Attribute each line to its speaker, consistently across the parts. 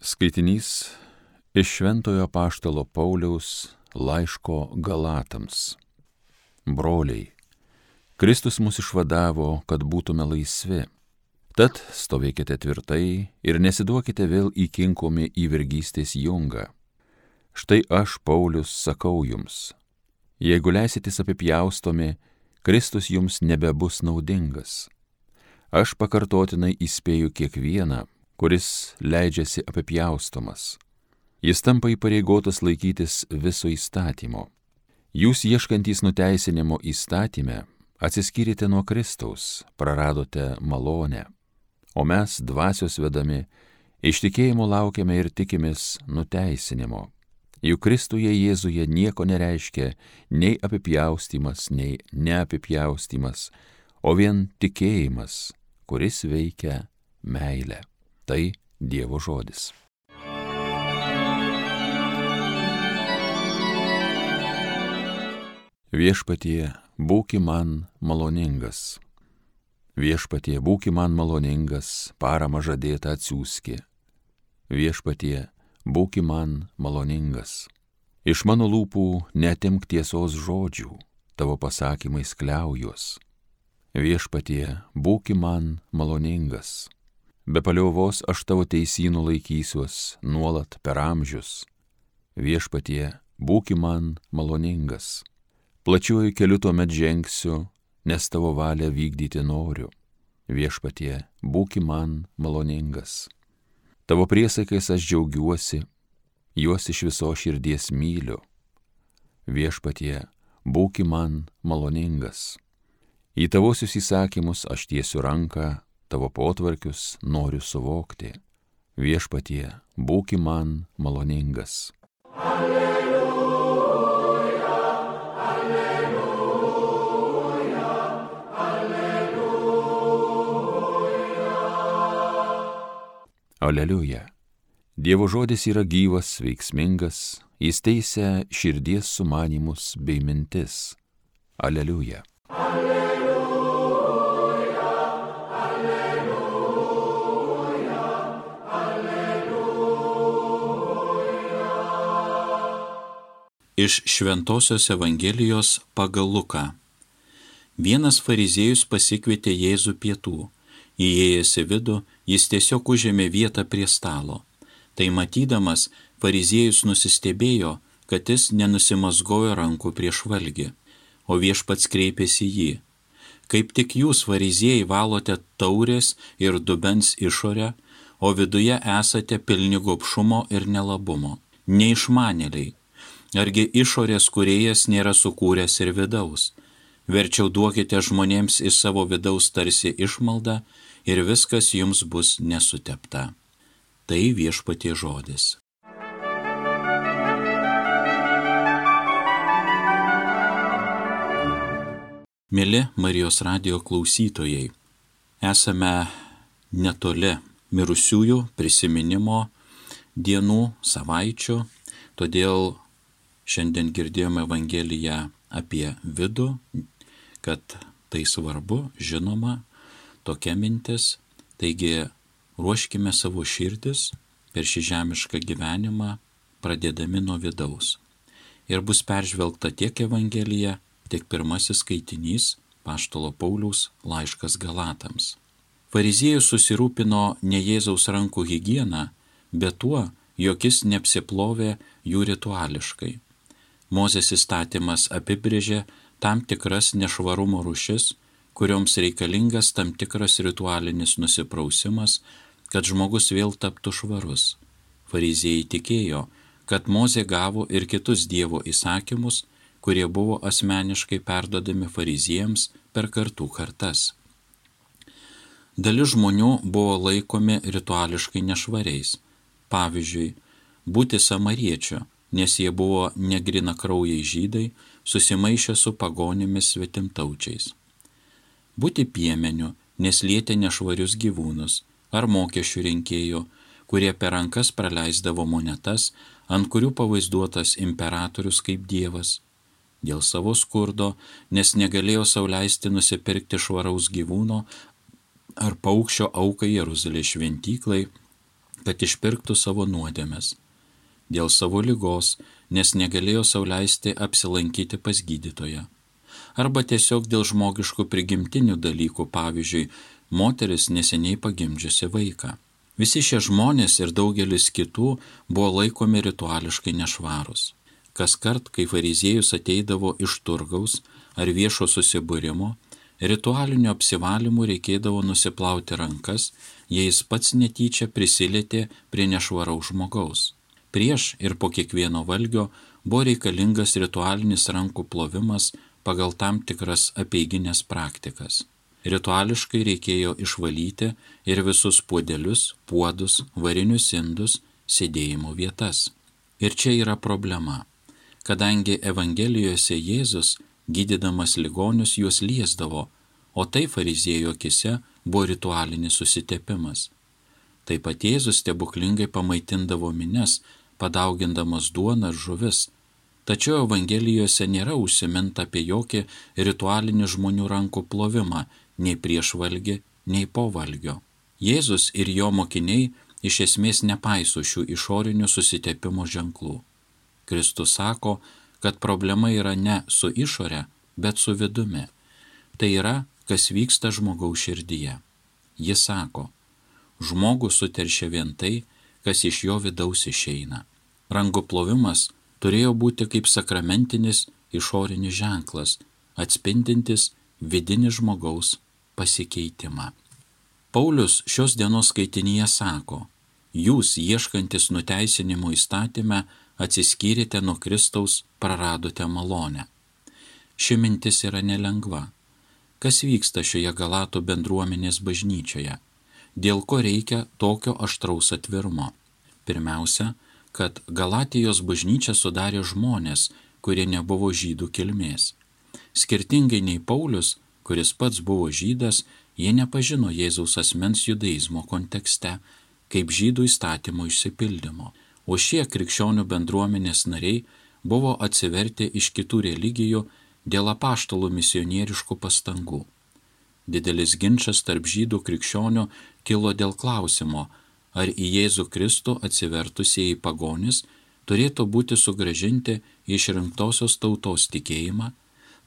Speaker 1: Skaitinys iš Šventojo apaštalo Pauliaus laiško Galatams. Broliai, Kristus mus išvadavo, kad būtume laisvi. Tad stovėkite tvirtai ir nesiduokite vėl įkinkomi į vergystės jungą. Štai aš, Paulius, sakau jums, jeigu leisitės apipjaustomi, Kristus jums nebebus naudingas. Aš pakartotinai įspėju kiekvieną, kuris leidžiasi apipjaustomas. Jis tampa įpareigotas laikytis viso įstatymo. Jūs ieškantys nuteisinimo įstatyme, atsiskyrėte nuo Kristaus, praradote malonę. O mes, dvasios vedami, iš tikėjimo laukiame ir tikimės nuteisinimo. Juk Kristuje Jėzuje nieko nereiškia nei apipjaustymas, nei neapipjaustymas, o vien tikėjimas, kuris veikia meilę. Tai Dievo žodis. Viešpatie, būki man maloningas. Viešpatie, būki man maloningas, paramą žadėtą atsiųski. Viešpatie, būki man maloningas. Iš mano lūpų neatimk tiesos žodžių, tavo pasakymais kliaujuos. Viešpatie, būki man maloningas. Be paliovos aš tavo teisynų laikysiuos nuolat per amžius. Viešpatie, būki man maloningas. Plačiuoju keliu tuomet žengsiu, nes tavo valią vykdyti noriu. Viešpatie, būki man maloningas. Tavo priesakais aš džiaugiuosi, juos iš visos širdies myliu. Viešpatie, būki man maloningas. Į tavosius įsakymus aš tiesiu ranką, tavo potvarkius noriu suvokti. Viešpatie, būki man maloningas. Alleluja, alleluja, alleluja. Aleliuja. Dievo žodis yra gyvas, veiksmingas, jis teisia širdies sumanymus bei mintis. Aleliuja.
Speaker 2: Iš Šventosios Evangelijos pagal Luką. Vienas fariziejus pasikvietė Jėzų pietų. Įėjęs į vidų, jis tiesiog užėmė vietą prie stalo. Tai matydamas, fariziejus nusistebėjo, kad jis nenusimazgojo rankų prieš valgį, o viešpats kreipėsi jį. Kaip tik jūs, fariziejai, valote taurės ir dubens išorę, o viduje esate pilni gobšumo ir nelabumo. Neišmanėliai. Argi išorės kūrėjas nėra sukūręs ir vidaus? Verčiau duokite žmonėms iš savo vidaus tarsi išmaldą ir viskas jums bus nesutepta. Tai Viešpaties žodis. Mieli Marijos radijo klausytojai, esame netoli mirusiųjų prisiminimo dienų, savaičių, todėl šiandien girdėjome Evangeliją apie vidų, kad tai svarbu, žinoma, tokia mintis. Taigi ruoškime savo širdis per šį žemišką gyvenimą, pradėdami nuo vidaus. Ir bus peržvelgta tiek Evangelija, tiek pirmasis skaitinys apaštalo Pauliaus laiškas Galatams. Fariziejus susirūpino ne Jėzaus rankų higieną, bet tuo, jog jis neapsiplovė jų rituališkai. Mozės įstatymas apibrėžė tam tikras nešvarumo rūšis, kurioms reikalingas tam tikras ritualinis nusiprausimas, kad žmogus vėl taptų švarus. Fariziejai tikėjo, kad Mozė gavo ir kitus Dievo įsakymus, kurie buvo asmeniškai perduodami fariziejams per kartų kartas. Dalis žmonių buvo laikomi rituališkai nešvariais. Pavyzdžiui, būti samariečiu, nes jie buvo negrinakraujai žydai, susimaišę su pagonimis svetimtaučiais. Būti piemeniu, nes lietė nešvarius gyvūnus, ar mokesčių rinkėjų, kurie per rankas praleisdavo monetas, ant kurių pavaizduotas imperatorius kaip dievas. Dėl savo skurdo, nes negalėjo sau leisti nusipirkti švaraus gyvūno ar paukščio aukai Jeruzalės šventyklai, kad išpirktų savo nuodėmes. Dėl savo ligos, nes negalėjo sau leisti apsilankyti pas gydytoją. Arba tiesiog dėl žmogiškų prigimtinių dalykų, pavyzdžiui, moteris neseniai pagimdžiusi vaiką. Visi šie žmonės ir daugelis kitų buvo laikomi rituališkai nešvarūs. Kaskart, kai fariziejus ateidavo iš turgaus ar viešo susibūrimo, ritualiniu apsivalymu reikėdavo nusiplauti rankas, jei jis pats netyčia prisilietė prie nešvaraus žmogaus. Prieš ir po kiekvieno valgio buvo reikalingas ritualinis rankų plovimas pagal tam tikras apeiginės praktikas. Rituališkai reikėjo išvalyti ir visus puodelius, puodus, varinius indus, sėdėjimo vietas. Ir čia yra problema, kadangi Evangelijose Jėzus, gydydamas ligonius, juos liesdavo, o tai fariziejų akise buvo ritualinis susitepimas. Taip pat Jėzus stebuklingai pamaitindavo minias, padaugindamas duoną ir žuvis, tačiau Evangelijose nėra užsiminta apie jokį ritualinį žmonių rankų plovimą, nei prieš valgį, nei po valgio. Jėzus ir jo mokiniai iš esmės nepaiso šių išorinių susitepimo ženklų. Kristus sako, kad problema yra ne su išore, bet su vidumi. Tai yra, kas vyksta žmogaus širdyje. Jis sako, žmogų suteršia vien tai, kas iš jo vidaus išeina. Rankų plovimas turėjo būti kaip sakramentinis išorinis ženklas, atspindintis vidinį žmogaus pasikeitimą. Paulius šios dienos skaitinyje sako, jūs, ieškantis nuteisinimo įstatyme, atsiskyrėte nuo Kristaus, praradote malonę. Ši mintis yra nelengva. Kas vyksta šioje Galatų bendruomenės bažnyčioje? Dėl ko reikia tokio aštraus atvirumo? Pirmiausia, kad Galatijos bažnyčią sudarė žmonės, kurie nebuvo žydų kilmės. Skirtingai nei Paulius, kuris pats buvo žydas, jie nepažino Jėzaus asmens judaizmo kontekste, kaip žydų įstatymo išsipildymo, o šie krikščionių bendruomenės nariai buvo atsivertę iš kitų religijų dėl apaštalų misionieriškų pastangų. Didelis ginčas tarp žydų krikščionių kilo dėl klausimo, ar į Jėzų Kristų atsivertusieji pagonis turėtų būti sugrąžinti išrinktosios tautos tikėjimą,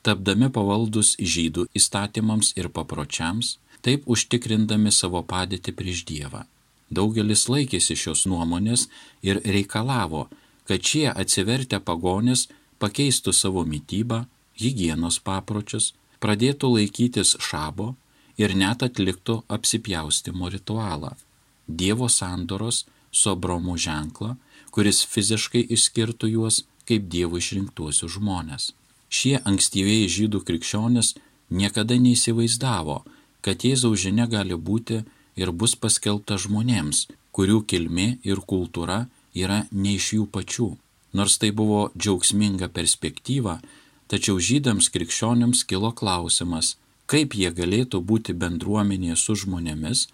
Speaker 2: tapdami pavaldus žydų įstatymams ir papročiams, taip užtikrindami savo padėtį prieš Dievą. Daugelis laikėsi šios nuomonės ir reikalavo, kad šie atsivertę pagonis pakeistų savo mitybą, higienos papročius, pradėtų laikytis šabo ir net atliktų apsipjaustimo ritualą, Dievo sandoros su Abraomu ženklą, kuris fiziškai išskirtų juos kaip Dievo išrinktuosius žmonės. Šie ankstyvieji žydų krikščionys niekada neįsivaizdavo, kad Jėzaus žinia gali būti ir bus paskelbta žmonėms, kurių kilmė ir kultūra yra ne iš jų pačių. Nors tai buvo džiaugsminga perspektyva, tačiau žydams krikščionims kilo klausimas, kaip jie galėtų būti bendruomenėje su žmonėmis,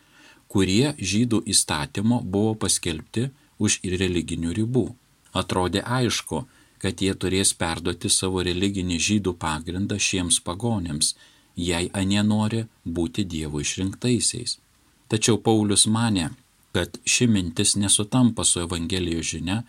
Speaker 2: kurie žydų įstatymo buvo paskelbti už religinių ribų. Atrodė aišku, kad jie turės perduoti savo religinį žydų pagrindą šiems pagonėms, jei anie nori būti Dievo išrinktaisiais. Tačiau Paulius manė, kad ši mintis nesutampa su Evangelijos žinia,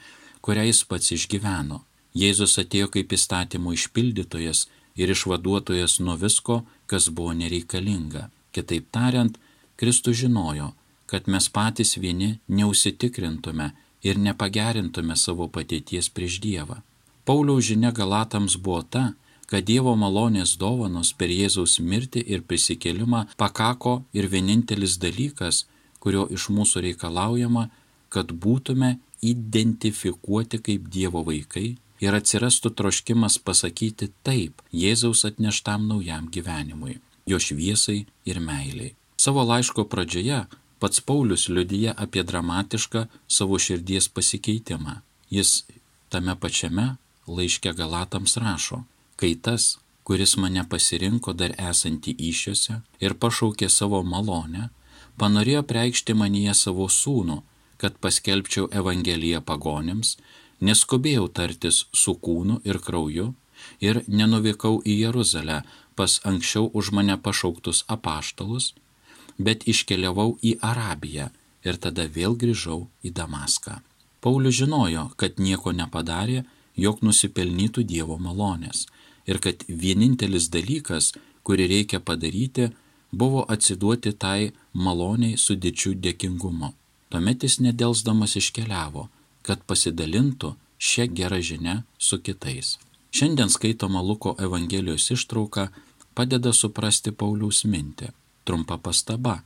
Speaker 2: kurią jis pats išgyveno. Jėzus atėjo kaip įstatymo išpildytojas ir išvaduotojas nuo visko, kas buvo nereikalinga. Kitaip tariant, Kristus žinojo, kad mes patys vieni neužsitikrintume ir nepagerintume savo padėties prieš Dievą. Pauliaus žinia Galatams buvo ta, kad Dievo malonės dovanos per Jėzaus mirtį ir prisikėlimą pakako ir vienintelis dalykas, kurio iš mūsų reikalaujama, kad būtume identifikuoti kaip Dievo vaikai ir atsirastų troškimas pasakyti taip Jėzaus atneštam naujam gyvenimui, jo šviesai ir meiliai. Savo laiško pradžioje pats Paulius liudija apie dramatišką savo širdies pasikeitimą. Jis tame pačiame laiške Galatams rašo, kai tas, kuris mane pasirinko dar esantį įsčiose ir pašaukė savo malonę, panorėjo preikšti manyje savo sūnų, kad paskelbčiau Evangeliją pagonims, neskubėjau tartis su kūnu ir krauju ir nenuvykau į Jeruzalę pas anksčiau už mane pašauktus apaštalus, bet iškeliavau į Arabiją, ir tada vėl grįžau į Damaską. Paulius žinojo, kad nieko nepadarė, jog nusipelnytų Dievo malonės ir kad vienintelis dalykas, kurį reikia padaryti, buvo atsiduoti tai maloniai su didžiu dėkingumu. Tuomet jis nedelsdamas iškeliavo, kad pasidalintų šią gerą žinią su kitais. Šiandien skaitoma Luko Evangelijos ištrauka padeda suprasti Pauliaus mintį. Trumpa pastaba,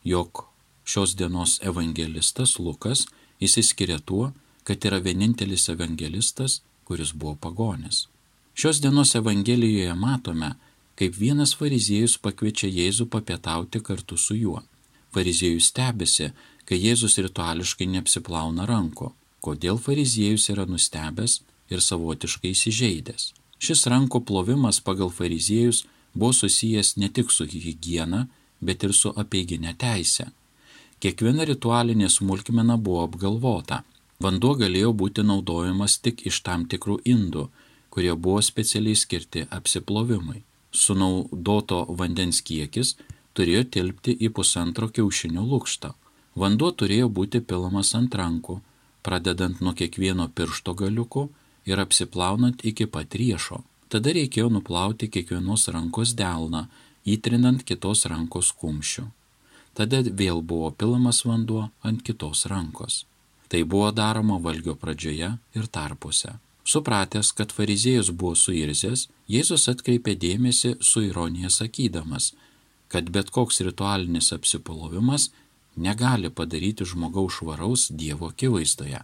Speaker 2: jog šios dienos evangelistas Lukas išsiskiria tuo, kad yra vienintelis evangelistas, kuris buvo pagonis. Šios dienos Evangelijoje matome, kaip vienas fariziejus pakviečia Jėzų papietauti kartu su juo. Fariziejus stebisi, kai Jėzus rituališkai neapsiplauna rankų. Kodėl fariziejus yra nustebęs ir savotiškai įsižeidęs? Šis rankų plovimas pagal fariziejus buvo susijęs ne tik su higiena, bet ir su apeiginė teise. Kiekviena ritualinė smulkmena buvo apgalvota. Vanduo galėjo būti naudojamas tik iš tam tikrų indų, kurie buvo specialiai skirti apsiplovimui. Sunaudoto vandens kiekis turėjo tilpti į 1,5 kiaušinio lukštą. Vanduo turėjo būti pilamas ant rankų, pradedant nuo kiekvieno piršto galiuko ir apsiplaunant iki pat riešo. Tada reikėjo nuplauti kiekvienos rankos delną, įtrinant kitos rankos kumščių. Tada vėl buvo pilamas vanduo ant kitos rankos. Tai buvo daroma valgio pradžioje ir tarpuose. Supratęs, kad fariziejus buvo suirzęs, Jėzus atkreipė dėmesį su ironija sakydamas, kad bet koks ritualinis apsiplovimas negali padaryti žmogaus švaraus Dievo akivaizdoje.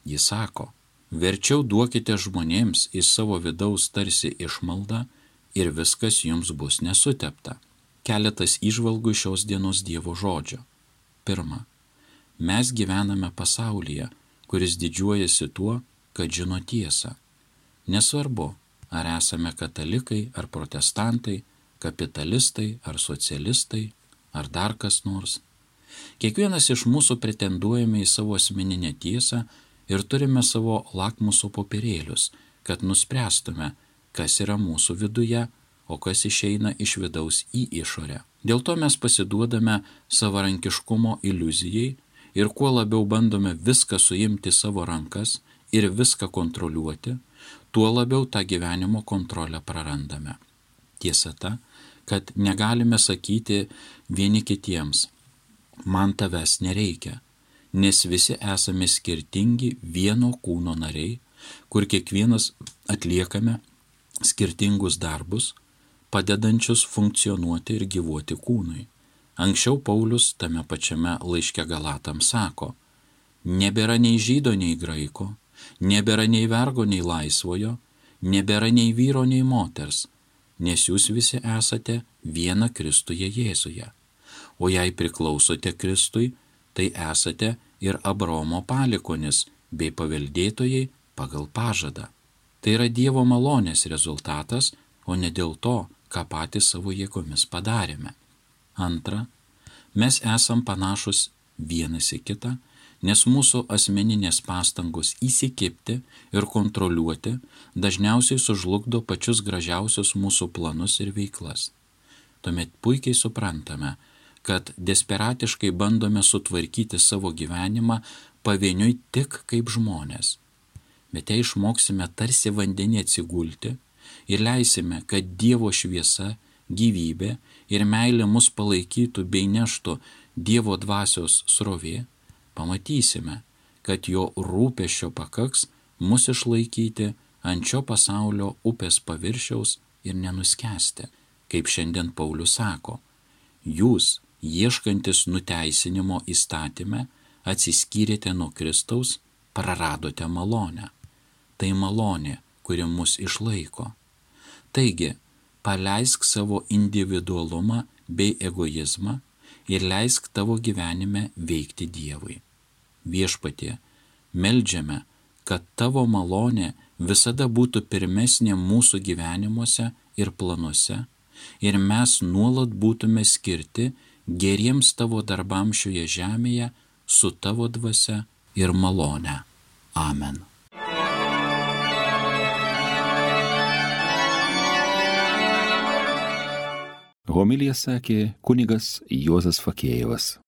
Speaker 2: Jis sako, verčiau duokite žmonėms iš savo vidaus tarsi išmaldą ir viskas jums bus nesutepta. Keletas įžvalgų šios dienos Dievo žodžio. Pirma, mes gyvename pasaulyje, kuris didžiuojasi tuo, kad žino tiesą. Nesvarbu, ar esame katalikai, ar protestantai, kapitalistai, ar socialistai, ar dar kas nors. Kiekvienas iš mūsų pretenduojame į savo asmeninę tiesą ir turime savo lakmuso popierėlius, kad nuspręstume, kas yra mūsų viduje, o kas išeina iš vidaus į išorę. Dėl to mes pasiduodame savarankiškumo iliuzijai ir kuo labiau bandome viską suimti savo rankas ir viską kontroliuoti, tuo labiau tą gyvenimo kontrolę prarandame. Tiesa ta, kad negalime sakyti vieni kitiems, man tavęs nereikia, nes visi esame skirtingi vieno kūno nariai, kur kiekvienas atliekame skirtingus darbus, padedančius funkcionuoti ir gyvuoti kūnui. Anksčiau Paulius tame pačiame laiške Galatams sako, nebėra nei žydo, nei graiko, nebėra nei vergo, nei laisvojo, nebėra nei vyro, nei moters, nes jūs visi esate viena Kristuje Jėzuje. O jei priklausote Kristui, tai esate ir Abraomo palikuonis bei paveldėtojai pagal pažadą. Tai yra Dievo malonės rezultatas, o ne dėl to, ką patys savo jėgomis padarėme. Antra, mes esam panašus vienas į kitą, nes mūsų asmeninės pastangos įsikibti ir kontroliuoti dažniausiai sužlugdo pačius gražiausius mūsų planus ir veiklas. Tuomet puikiai suprantame, kad desperatiškai bandome sutvarkyti savo gyvenimą pavieniui tik kaip žmonės. Bet jei išmoksime tarsi vandenį atsigulti ir leisime, kad Dievo šviesa, gyvybė ir meilė mus palaikytų bei neštų Dievo dvasios srovė, pamatysime, kad jo rūpesčio pakaks mus išlaikyti ant šio pasaulio upės paviršiaus ir nenuskęsti. Kaip šiandien Paulius sako, jūs, ieškantis nuteisinimo įstatyme, atsiskyrėte nuo Kristaus, praradote malonę. Tai malonė, kuri mus išlaiko. Taigi, paleisk savo individualumą bei egoizmą ir leisk tavo gyvenime veikti Dievui. Viešpatie, meldžiame, kad tavo malonė visada būtų pirmesnė mūsų gyvenimuose ir planuose ir mes nuolat būtume skirti geriems tavo darbams šioje žemėje su tavo dvasia ir malone. Amen.
Speaker 1: Homiliją sakė kunigas Juozas Fakėjevas.